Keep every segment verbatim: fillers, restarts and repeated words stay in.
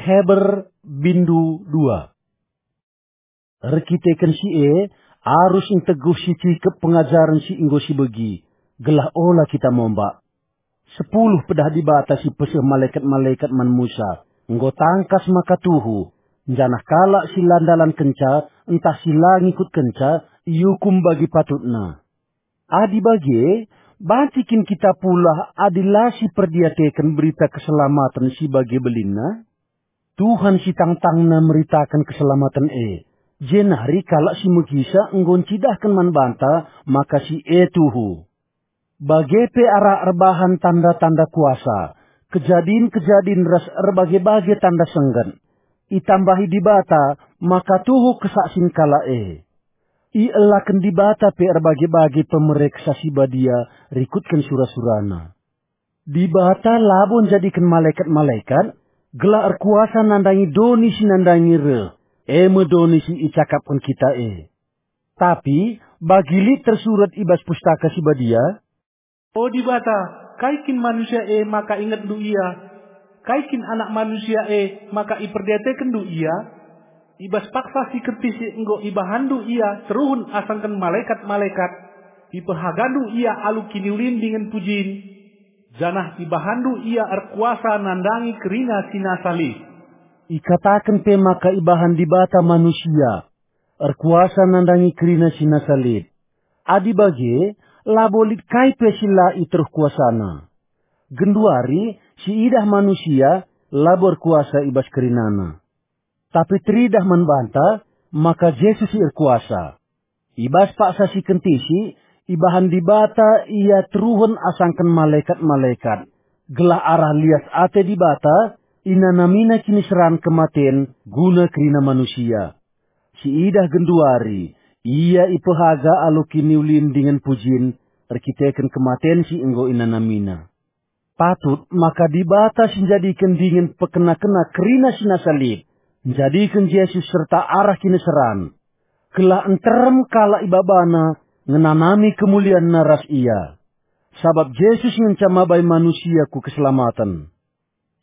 Heber bindu dua. Erkiteken si e, arus nteguh si cikep pengajaren si enggo sibegi, gelah ola kita mombak. Sepuluh pedah Dibata si peseh malekat-malekat man Musa, enggo tangkas maka tuhu, janah kalak si la ndalankenca ntah si la ngikutkenca iukum bagi patutna. Adi bage, banci kin kita pulah adi la siperdiateken berita keselamaten si bage belinna? Tuhan si tangtangna meritaken keselamaten e, jenari kalak si megisa enggo ncidahken man banta maka si e tuhu. Bage pe arah erbahan tanda-tanda kuasa, kejadin-kejadin ras erbage-bage tanda sengget. Itambahi Dibata maka tuhu kesaksin kalak e. Ielaken Dibata pe erbage-bage pemereksa si badia rikutken sura-surana. Dibata labo njadiken malekat-malekat gelah erkuasa nandangi doni si nandangi reh, e me doni si icakapken kita e. Tapi bagi lit tersurat i bas Pustaka Si Badia, "O Dibata, kai kin manusia e maka ingetndu ia? Kai kin anak manusia e maka iperdiatekenndu ia? I bas paksa si kentisik enggo ibahanndu ia teruhen asangken malekat-malekat, ipehagandu ia alu kiniulin dingen pujin, janah ibahanndu ia erkuasa nandangi kerina si nasa lit." Ikataken pe maka ibahan Dibata manusia, erkuasa nandangi kerina si nasa lit. Adi bage, labo lit kai pe si la iteruh kuasana. Genduari, si idah manusia labo erkuasa i bas kerinana. Tapi teridah man banta maka Jesus si erkuasa. I bas paksa si kentisik, ibahan Dibata ia teruhen asangken malekat-malekat, gelah arah lias ate Dibata inanamina kiniseran kematen guna kerina manusia. Si idah genduari, ia ipehaga alu kiniulin dingen pujin erkiteken kematen si enggo inanamina. Patut maka Dibata si njadiken dingen pekena-kena kerina si nasa lit, njadiken Jesus serta arah kiniseran, gelah nterem kalak ibabana ngenanami kemulianNa ras Ia. Sabap Jesus ngenca mabai manusia ku keselamaten.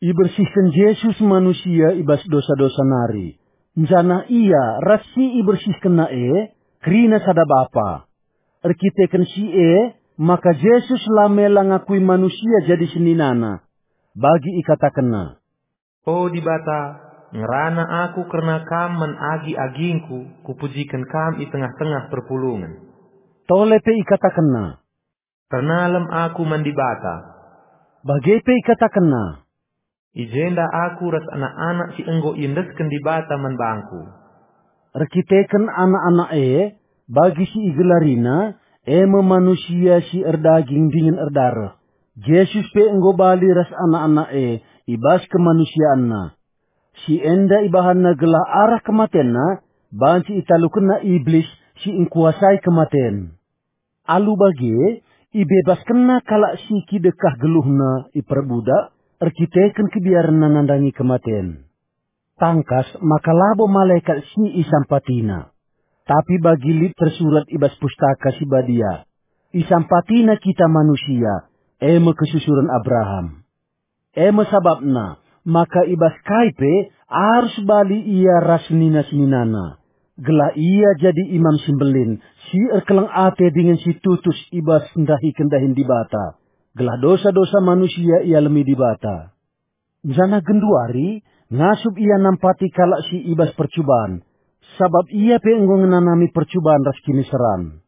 Ibersihken Jesus manusia i bas dosa-dosa nari, janah Ia ras si ibersihkenNa e kerina sada Bapa. Erkiteken si e, maka Jesus la mela ngakui manusia jadi seninana. Bagi ikatakenNa, "O Dibata, ngerana Aku kerna Kam man agi-agingku, kupujiken Kam i tengah-tengah perpulungen." Tole pe ikatakenNa, "Ernalem Aku man Dibata." Bage pe ikatakenNa, "I jenda Aku ras anak-anak si enggo iendesken Dibata man bangKu." Erkiteken anak-anak e, bagi si igelariNa, e me manusia si erdaging dingen erdareh, Jesus pe enggo bali ras anak-anak e i bas kemanusianNa. Si enda ibahanNa gelah arah kematenNa banci italukenNa Iblis si engkuasai kematen. Alu bage, ibebaskenNa kalak si kidekah geluhna iperbudak erkiteken kebiarenna nandangi kematen. Tangkas maka labo malekat si isampatiNa, tapi bagi lit tersurat i bas Pustaka Si Badia, isampatiNa kita manusia, e me kesusuren Abraham. E me sabapna maka i bas kai pe arus bali ia ras senina-seninana, gelah ia jadi Imam si Mbelin, si erkeleng ate dingen si tutus i bas ndahiken dahin Dibata, gelah dosa-dosa manusia ialemi Dibata. Janah genduari ngasup ia nampati kalak si i bas percuban, sabap ia pe enggo ngenanami percuban ras kiniseran.